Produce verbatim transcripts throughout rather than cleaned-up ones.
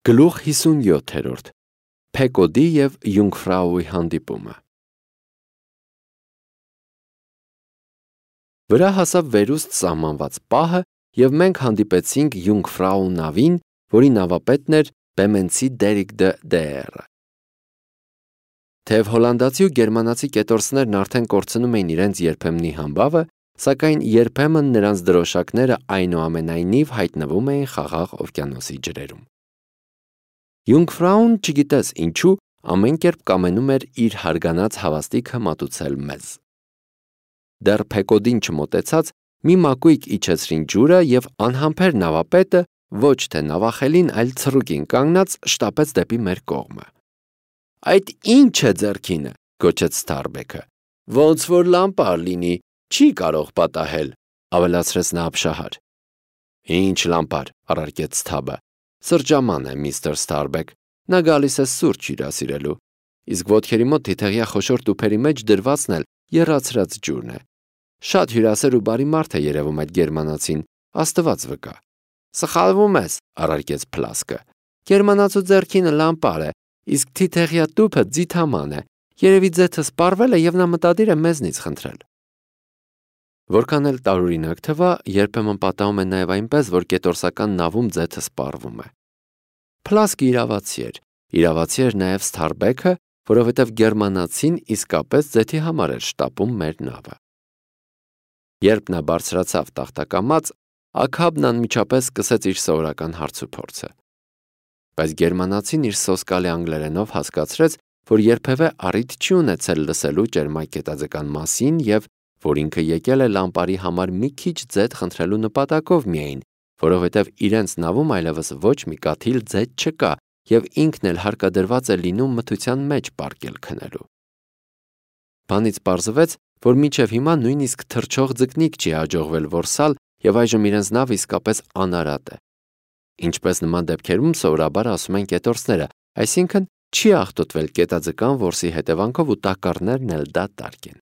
Գլուխ հիսունյոթերորդ Փեկոդի և Յունգֆրաուի հանդիպումը Վրա հասավ վերուստ սահմանված պահը, և մենք հանդիպեցինք Յունգֆրաու նավին, որի նավապետն էր բեմենցի Դերիկ դը Դեերը։ Թեև հոլանդացի ու գերմանացի կետորսներն արդեն կորցնում էին իրենց երբեմնի համբավը, սակայն երբեմն նրանց դրոշակները այնուամենայնիվ հայտնվում էին Խաղաղ օվկիանոսի ջրերում։ Յունգֆրաուն, չգիտես ինչու, ամեն կերպ կամենում էր իր հարգանած հավաստիքը մատուցել մեզ։ Դեռ Փեկոդին չմոտեցած, մի մակույկ իջեցրին ջուրը, և անհամբեր նավապետը, ոչ թե նավախելին, այլ ցռուկին կանգնած, շտապեց դեպի մեր կողմը։ «Այդ ի՞նչ է ձեռքինը», գոչեց Սթարբեքը։ «Ոնց որ լամպար լինի, չի կարող պատահել», ավելացրեց նա ապշահար։ «Ինչ լամպար», առարկեց Սթաբը։ «Սրճաման է, միստր Սթարբեք, նա գալիս է սուրճ հյուրասիրելու, իսկ ոտքերի մոտ թիթեղյա խոշոր տուփերի մեջ դրվածն էլ եռացրած ջուրն է։ Շատ հյուրասեր ու բարի մարդ է երևում այդ գերմանացին, Աստված վկա»։ «Սխալվում ես», առարկեց Փլասկը։ «Գերմանացու ձեռքինը լամպար է, իսկ թիթեղյա տուփը ձիթաման է։ Երևի ձեթը սպառվել է, և նա մտադիր է մեզնից խնդրել»։ Որքան էլ տարօրինակ թվա, երբեմն պատահում է նաև այնպես, որ կետորսական նավում ձեթը սպառվում է։ Փլասկը իրավացի էր, իրավացի էր նաև Սթարբեքը, որովհետև գերմանացին իսկապես ձեթի համար էր շտապում մեր նավը։ Երբ նա բարձրացավ տախտակամած, Աքաբն անմիջապես սկսեց իր սովորական հարցուփորձը։ Բայց գերմանացին իր սոսկալի անգլերենով հասկացրեց, որ երբևէ առիթ չի ունեցել լսելու ճերմակ գետաձկան մասին և որ ինքը եկել է լամպարի համար մի քիչ ձեթ խնդրելու նպատակով միայն, որովհետև իրենց նավում այլևս ոչ մի կաթիլ ձեթ չկա, և ինքն էլ հարկադրված է լինում մթության մեջ պառկել քնելու։ Բանից պարզվեց, որ մինչև հիմա նույնիսկ թռչող ձկնիկ չի հաջողվել որսալ, և այժմ իրենց նավը իսկապես անարատ է։ Ինչպես նման դեպքերում սովորաբար ասում են կետորսները, այսինքն չի աղտոտվել կետաձկան որսի հետևանքով ու տակառներն էլ դատարկ են։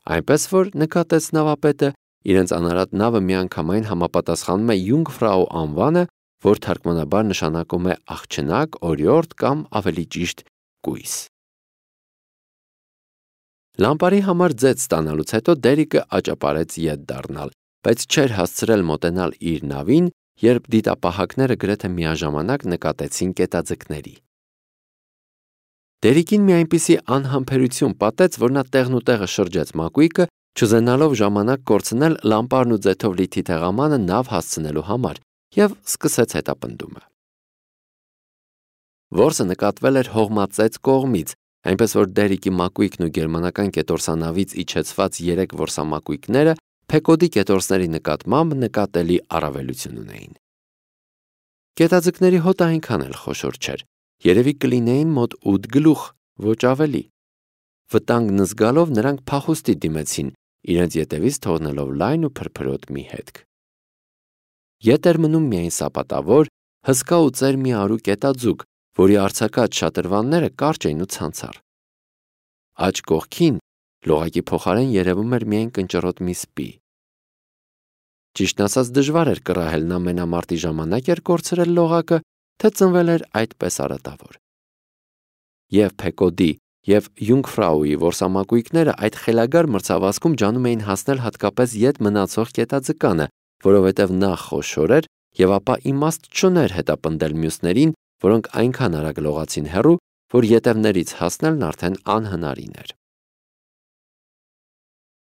Այնպես որ, նկատեց նավապետը, իրենց անարատ նավը միանգամայն համապատասխանում է Յունգֆրաու անվանը, որ թարգմանաբար նշանակում է աղջնակ, օրիորդ կամ ավելի ճիշտ կույս։ Լամպարի համար ձեթ ստանալուց հետո Դերիկը աճապարեց ետ դառնալ, բայց չէր հասցրել մոտենալ իր նավին, երբ դիտապահակները գրեթե միաժամանակ նկատեցին կետաձկների։ Դերիկին մի այնպիսի անհամբերություն պատեց, որ նա տեղնուտեղը շրջեց մակույկը, չուզենալով ժամանակ կորցնել լամպարն ու ձեթով լի թիթեղամանը նավ հասցնելու համար, և սկսեց հետապնդումը։ Որսը նկատվել էր հողմածեծ կողմից, այնպես որ Դերիկի մակույկն ու գերմանական կետորսանավից իջեցված երեք որսամակույկները Փեկոդի կետորսների նկատմամբ նկատելի առավելություն ունեին։ Կետաձկների հոտը այնքան էլ խոշոր չէր, երևի կլինեին մոտ ութ գլուխ, ոչ ավելի։ Վտանգն զգալով նրանք փախուստի դիմեցին, իրենց ետևից թողնելով լայն ու փրփրոտ մի հետք։ Ետ էր մնում միայն սապատավոր, հսկա ու ծեր մի արու կետաձուկ, որի արձակած շատրվանները կարճ էին ու ցանցառ։ Աջ կողքին լողակի փոխարեն երևում էր միայն կնճռոտ մի սպի։ Ճիշտն ասած, դժվար էր կռահել նա մենամարտի ժամանակ էր կորցրել լողակը, թե ծնվել էր այդպես արատավոր։ Եվ Փեկոդի, և Յունգֆրաուի որսամակույկները այդ խելագար մրցավազքում ջանում էին հասնել հատկապես ետ մնացող կետաձկանը, որովհետև նա խոշոր էր և ապա իմաստ չուներ հետապնդել մյուսներին, որոնք այնքան արագ լողացին հեռու, որ ետևներից հասնելն արդեն անհնարին էր։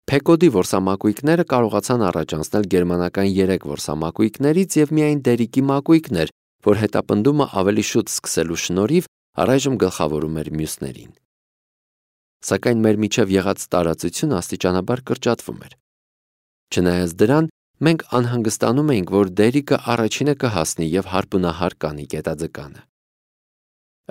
Փեկոդի որսամակույկները կարողացան առաջ անցնել գերմանական երեք որսամակույկներից և միայն Դերիկի մակույկն էր, որ հետապնդումը ավելի շուտ սկսելու շնորհիվ առայժմ գլխավորում էր մյուսներին։ Սակայն մեր միջև եղած տարածությունը աստիճանաբար կրճատվում էր։ Չնայած դրան, մենք անհանգստանում էինք, որ Դերիկը առաջինը կհասնի և հարբունահար կանի կետաձկանը։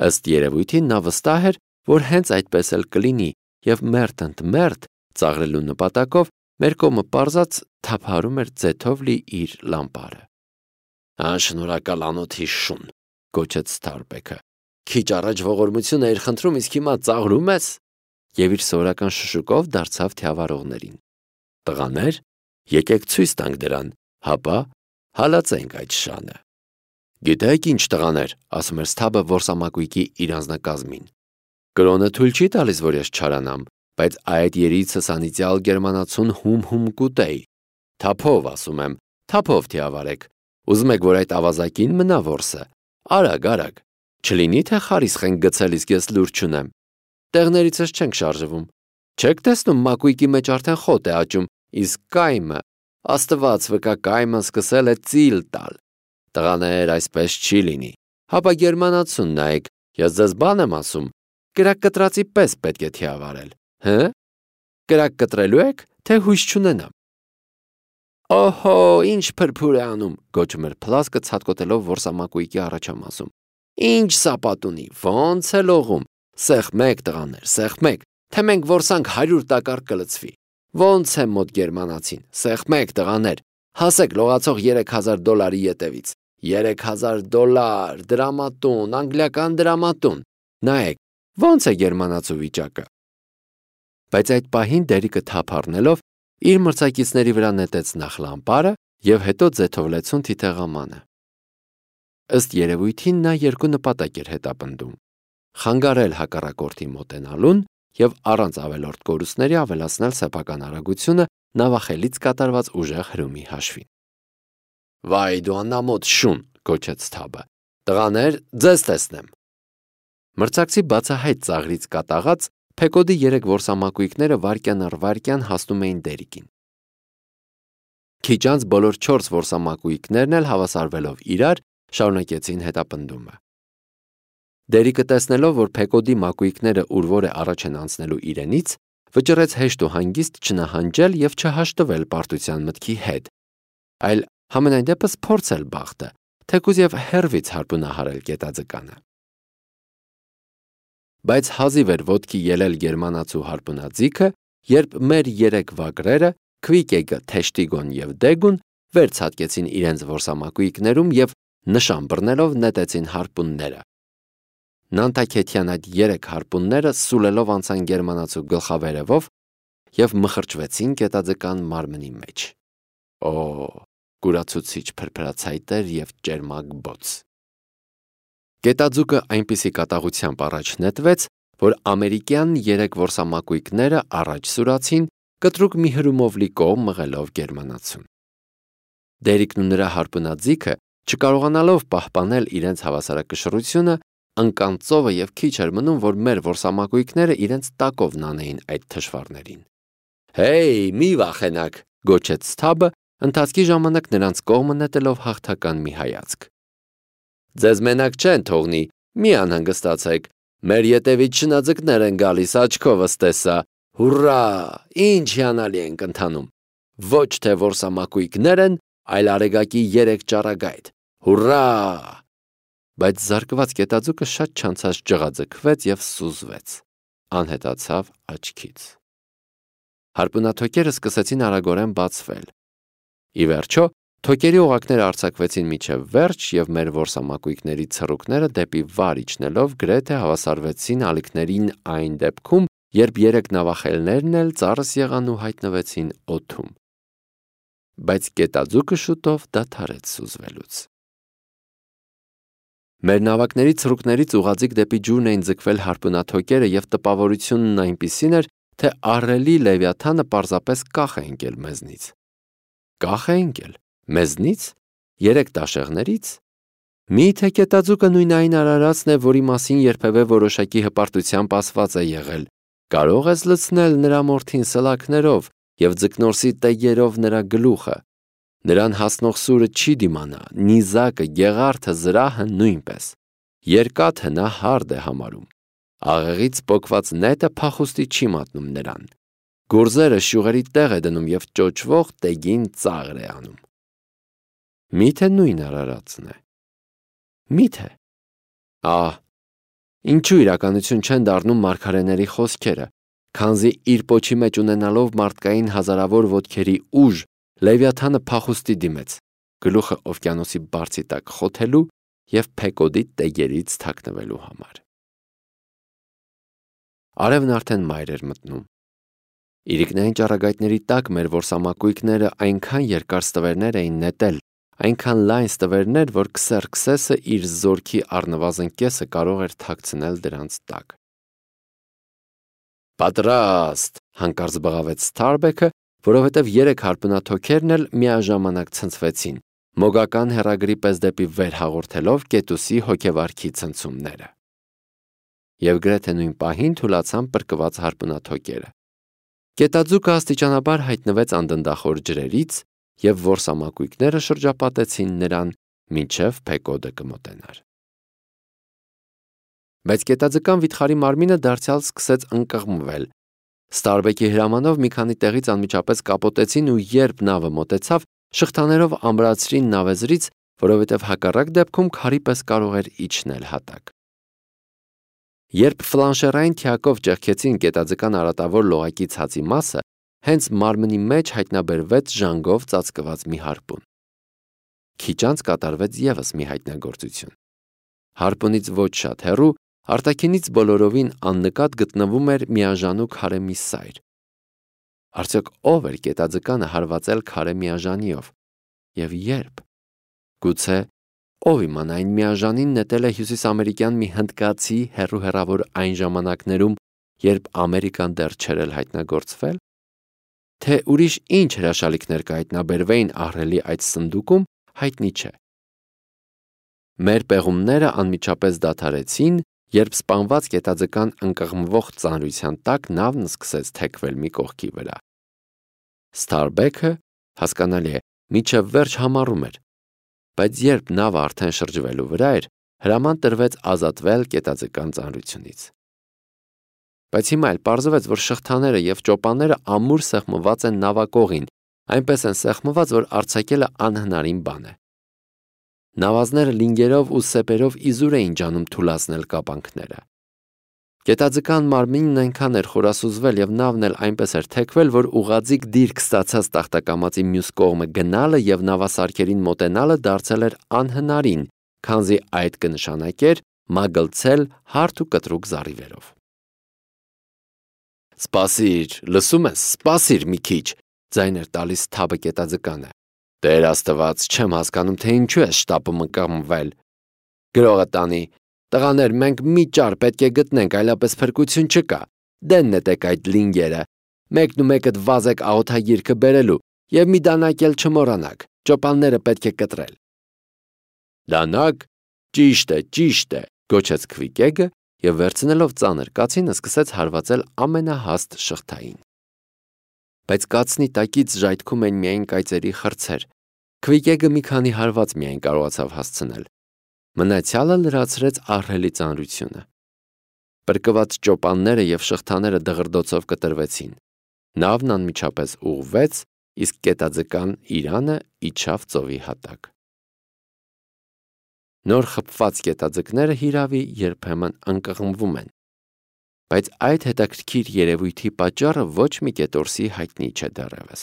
Ըստ երևույթի նա վստահ էր, որ հենց այդպես էլ կլինի, և մերթ ընդ մերթ, ծաղրելու նպատակով, մեր կողմը պարզած թափահարում էր ձեթով լի իր լամպարը։ «Անշնորհակալ անոթի շուն», գոչեց Սթարբեքը։ «Քիչ առաջ ողորմություն էիր խնդրում, իսկ հիմա ծաղրում ես»։ Եվ իր սովորական շշուկով դարձավ թիավարողներին։ «Տղաներ, եկեք ցույց տանք դրան, հապա հալածենք այդ շանը»։ Գիտեք ինչ տղաներ, ասում էր Սթաբը որսամակույկի իր անձնակազմին։ Կրոնը թույլ չի տալիս, որ ես չարանամ, բայց այդ երիցս անիծյալ գերմանացուն հում-հում կուտեի։ Թափով, ասում եմ, թափով թիավարեք։ Ուզում եք, որ այդ ավազակին մնա որսը։ Արագ, արագ։ Չլինի թե խարիսխ ենք գցել, իսկ ես լուր չունեմ։ Տեղներիցս չենք շարժվում։ Չեք տեսնում մակույկի մեջ արդեն խոտ է աճում, իսկ կայմը, Աստված վկա, կայմը սկսել է ծիլ տալ։ Տղաներ, այսպես չի լինի։ Հապա գերմանացուն նայեք, ես ձեզ բան եմ ասում, կրակ կտրածի պես պետք է թիավարել, հը՞։ Կրակ կտրելու եք, թե հույս չունենամ։ Օհո, ինչ փրփուր է անում, գոչում էր Փլասկը ցատկոտելով որսամակույկի առաջամասում։ Ինչ սապատ ունի, ոնց է լողում։ Սեղմեք տղաներ, սեղմեք, թե մենք որսանք հարյուր տակառ կլցվի։ Ոնց է մոտ գերմանացին, սեղմեք տղաներ, հասեք լողացող երեք հազար դոլարի ետևից։ Երեք հազար դոլար, դրամատուն, անգլիական դրամատուն։ Նայեք, ոնց է գերմանացու վիճակը։ Բայց այդ պահին Դերիկը թափ առնելով իր մրցակիցների վրա նետեց նախ լամպարը և հետո ձեթով լեցուն թիթեղամանը։ Ըստ երևույթին նա երկու նպատակ էր հետապնդում. խանգարել հակառակորդի մոտենալուն և առանց ավելորդ կորուստների ավելացնել սեփական արագությունը նավախելից կատարված ուժեղ հրումի հաշվին։ Վայ դու անամոթ շուն, գոչեց Սթաբը։ Տղաներ, ձեզ տեսնեմ։ Մրցակցի բացահայտ ծաղրից կատաղած Փեկոդի երեք որսամակույկները վայրկյան առ վայրկյան հասնում էին Դերիկին։ Քիչ անց բոլոր չորս որսամակույկներն էլ հավասարվելով իրար շարունակեցին հետապնդումը։ Դերիկը տեսնելով, որ Փեկոդի մակույկները ուրվոր է առաջ են անցնելու իրենից, վճռեց հեշտ ու հանգիստ չնահանջել և չհաշտվել պարտության մտքի հետ, այլ համենայն դեպս փորձել բախտը, թեկուզ և հեռվից հարպունահարել գետաձկանը։ Բայց հազիվ էր ոտքի ելել գերմանացու հարպունաձիգը, երբ մեր երեք վագրերը՝ Քվիկեգը, Թեշտիգոն և Դեգուն, վեր ցատկեցին իրենց որսամակույկներում և նշան բռնելով նետեցին հարպունները։ Նանտաքեթյան այդ երեք հարպունները սուլելով անցան գերմանացու գլխավերևով և մխրճվեցին գետաձկան մարմնի մեջ։ Օ, կուրացուցիչ փրփրացայտեր և ճերմակ բոց։ Գետաձուկը այնպիսի կատաղությամբ առաջ նետվեց, որ ամերիկյան երեք որսամակույկները առաջ սուրացին, կտրուկ մի հրումով լի կողմ մղելով գերմանացուն։ Դերիկն ու նրա հարպունաձիգը, չկարողանալով պահպանել իրենց հավասարակշռությունը, ընկան ծովը և քիչ էր մնում, որ մեր որսամակույկները իրենց տակով նանեին այդ թշվառներին։ Հեյ, մի վախենաք, գոչեց Սթաբը, ընթացքի ժամանակ նրանց կողմը նետելով հաղթական մի հայացք։ Ձեզ մենակ չեն թողնի, մի անհանգստացեք, մեր ետևից շնաձկներ են գալիս, աչքովս տեսա, հուրրա, ինչ հիանալի ենք ընթանում։ Ոչ թե որսամակույկներ են, այլ արեգակի երեք ճառագայթ, հուրրա։ Բայց զարկված գետաձուկը շատ չանցած ջղաձգվեց և սուզվեց, անհետացավ աչքից։ Հարպունաթոքերը սկսեցին արագորեն բացվել։ Ի վերջո, թոքերի օղակները արձակվեցին մինչև վերջ և մեր որսամակույկների ցռուկները դեպի վար իջնելով գրեթե հավասարվեցին ալիքներին այն դեպքում, երբ երեք նավախելներն էլ ծառս եղան ու հայտնվեցին օդում։ Բայց գետաձուկը շուտով դադարեց սուզվելուց։ Մեր նավակների ցռուկներից ուղղաձիգ դեպի ջուրն էին ձգվել հարպունաթոքերը և տպավորությունն այնպիսին էր, թե ահռելի Լևիաթանը պարզապես կախ է ընկել մեզնից։ Կախ է ընկել։ Մեզնից։ Երեք տաշեղներից։ Մի՞թե գետաձուկը նույն այն արարածն է, որի մասին երբևէ որոշակի հպարտությամբ ասված է եղել. կարող ես լցնել նրա մորթին սլաքներով և ձկնորսի տեգերով նրա գլուխը։ Նրան հասնող սուրը չի դիմանա, նիզակը, գեղարդը, զրահը նույնպես։ Երկաթը նա հարդ է համարում։ Աղեղից պոկված նետը փախուստի չի մատնում նրան։ Գորզերը շյուղերի տեղ է դնում և ճոճվող տեգին ծաղր է անում։ Մի՞թե նույն արարածն է։ Մի՞թե։ Ահ, ինչու իրականություն չեն դառնում մարգարեների խոսքերը, քանզի իր պոչի մեջ ունենալով մարդկային հազարավոր ոտքերի ուժ, Լևիաթանը փախուստի դիմեց, գլուխը օվկիանոսի բարձի տակ խոթելու և Փեկոդի տեգերից թաքնվելու համար։ Արևն արդեն մայր էր մտնում։ Իրիկնային ճառագայթների տակ մեր որսամակույկները այնքան երկար ստվերներ էին նետել, այնքան լայն ստվերներ, որ Քսերքսեսը իր զորքի առնվազն կեսը կարող էր թաքցնել դրանց տակ։ Պատրաստ, հանկարծ բղավեց Սթարբեքը, որովհետև երեք հարպունաթոքերն էլ միաժամանակ ցնցվեցին, մոգական հեռագրի պես դեպի վեր հաղորդելով Կետուսի հոգեվարքի ցնցումները։ Եվ գրեթե նույն պահին թուլացան պրկված հարպունաթոքերը։ Կետաձուկը աստիճանաբար հայտնվեց անդնդախոր ջրերից, և որսամակույկները շրջապատեցին նրան, մինչև Փեկոդը կմոտենար։ Բայց կետաձկան վիթխարի մարմինը դարձյալ սկսեց ընկղմվել։ Ստարբեկի հրամանով մի քանի տեղից անմիջապես կապոտեցին ու երբ նավը մոտեցավ, շղթաներով ամրացրին նավեզրից, որովհետև հակառակ դեպքում քարի պես կարող էր իջնել հատակ։ Երբ ֆլանշերային թիակով ճեղքեցին կետաձկան արատավոր լողակի ցածի մասը, հենց մարմնի մեջ հայտնաբերվեց ժանգով ծածկված մի հարպուն։ Քիչ անց կատարվեց ևս մի հայտնագործություն։ Հարպունից ոչ շատ հեռու, արտաքինից բոլորովին աննկատ գտնվում էր միաժանու քարե մի սայր։ Արդյոք ով էր կետաձկանը հարվածել քարե միաժանիով, և երբ։ Գուցե ով իմանա այն միաժանին նետել է հյուսիսամերիկյան մի հնդկացի հեռու-հեռավոր այն ժամանակներում, երբ Ամերիկան դեռ չէր էլ հայտնագործվել։ Թե ուրիշ ինչ հրաշալիքներ կհայտնաբերվեին ահռելի այդ սնդուկում, հայտնի չէ։ Մեր պեղումները անմիջապես դադարեցին, երբ սպանված կետաձկան ընկղմվող ծանրության տակ նավն սկսեց թեքվել մի կողքի վրա։ Սթարբեքը, հասկանալի է, մինչև վերջ համառում էր, բայց երբ նավը արդեն շրջվելու վրա էր, հրաման տրվեց ազատվել կետաձկան ծանրությունից։ Բայց հիմա էլ պարզվեց, որ շղթաները և ճոպանները ամուր սեղմված են նավակողին, այնպես են սեղմված, որ արձակելը անհնարին բան է։ Նավազները լինգերով ու սեպերով իզուր էին ջանում թուլացնել կապանքները։ Կետաձկան մարմինն այնքան էր խորասուզվել և նավն էլ այնպես էր թեքվել, որ ուղղաձիգ դիրք ստացած տախտակամածի մյուս կողմը գնալը և նավասարքերին մոտենալը դարձել էր անհնարին, քանզի այդ կնշանակեր մագլցել հարթ ու կտրուկ զառիվերով։ Սպասիր, լսում ես, սպասիր մի քիչ, ձայն էր տալիս թաբը կետաձկանը։ Տեր Աստված, չեմ հասկանում, թե ինչու է շտապում ընկղմվել։ Գրողը տանի, տղաներ, մենք մի ճար պետք է գտնենք, այլապես փրկություն չկա։ Դեն նետեք այդ լինգերը, մեկն ու մեկդ վազեք աղոթագիրքը բերելու և մի դանակ էլ չմոռանաք, ճոպանները պետք է կտրել։ Դանակ, ճիշտ է, ճիշտ է, գոչեց Քվիկեգը և վերցնելով ծանր կացինը սկսեց հարվածել ամենահաստ շղթային։ Բայց կացնի տակից ժայթքում են միայն կայծերի խրձեր։ Քվիկեգը մի քանի հարված միայն կարողացավ հասցնել։ Մնացյալը լրացրեց ահռելի ծանրությունը։ Պրկված ճոպանները և շղթաները դղրդոցով կտրվեցին։ Նավն անմիջապես ուղղվեց, իսկ կետաձկան իրանը իջավ ծովի հատակ։ Նոր խփված կետաձկները հիրավի երբեմն ընկղմվում են, բայց այդ հետաքրքիր երևույթի պատճառը ոչ մի կետորսի հայտնի չէ դեռևս։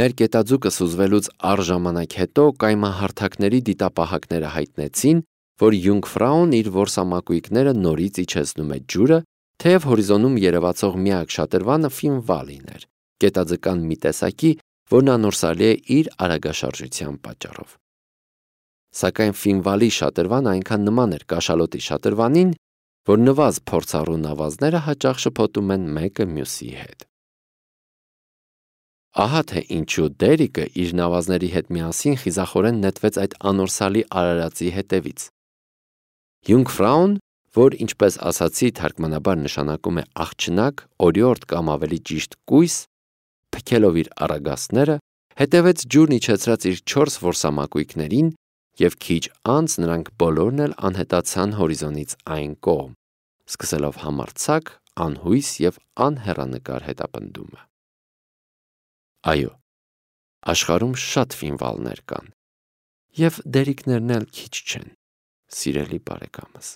Մեր կետաձուկը սուզվելուց առ ժամանակ հետո կայմահարթակների դիտապահակները հայտնեցին, որ Յունգֆրաուն իր որսամակույկները նորից իջեցնում է ջուրը, թեև հորիզոնում երևացող միակ շատրվանը Ֆինվալին էր, կետաձկան մի տեսակի, որն անորսալի է իր արագաշարժության պատճառով։ Սակայն Ֆինվալի շատրվանը այնքան նման էր կաշալոտի շատրվանին, որ նվազ փորձառու նավազները հաճախ շփոթում են մեկը մյուսի հետ։ Ահա թե ինչու Դերիկը իր նավազների հետ միասին խիզախորեն նետվեց այդ անորսալի արարածի հետևից։ Յունգֆրաուն, որ ինչպես ասացի թարգմանաբար նշանակում է աղջնակ, օրիորդ կամ ավելի ճիշտ կույս, փքելով իր առագաստները, հետևեց ջուրն իջեցրած իր չորս որսամակույկներին և քիչ անց նրանք բոլորն էլ անհետացան հորիզոնից այն կողմ, սկսելով համարձակ, անհույս և անհեռանկար հետապնդումը։ Այո, աշխարհում շատ Ֆինվալներ կան, և Դերիկներն էլ քիչ չեն, սիրելի բարեկամս։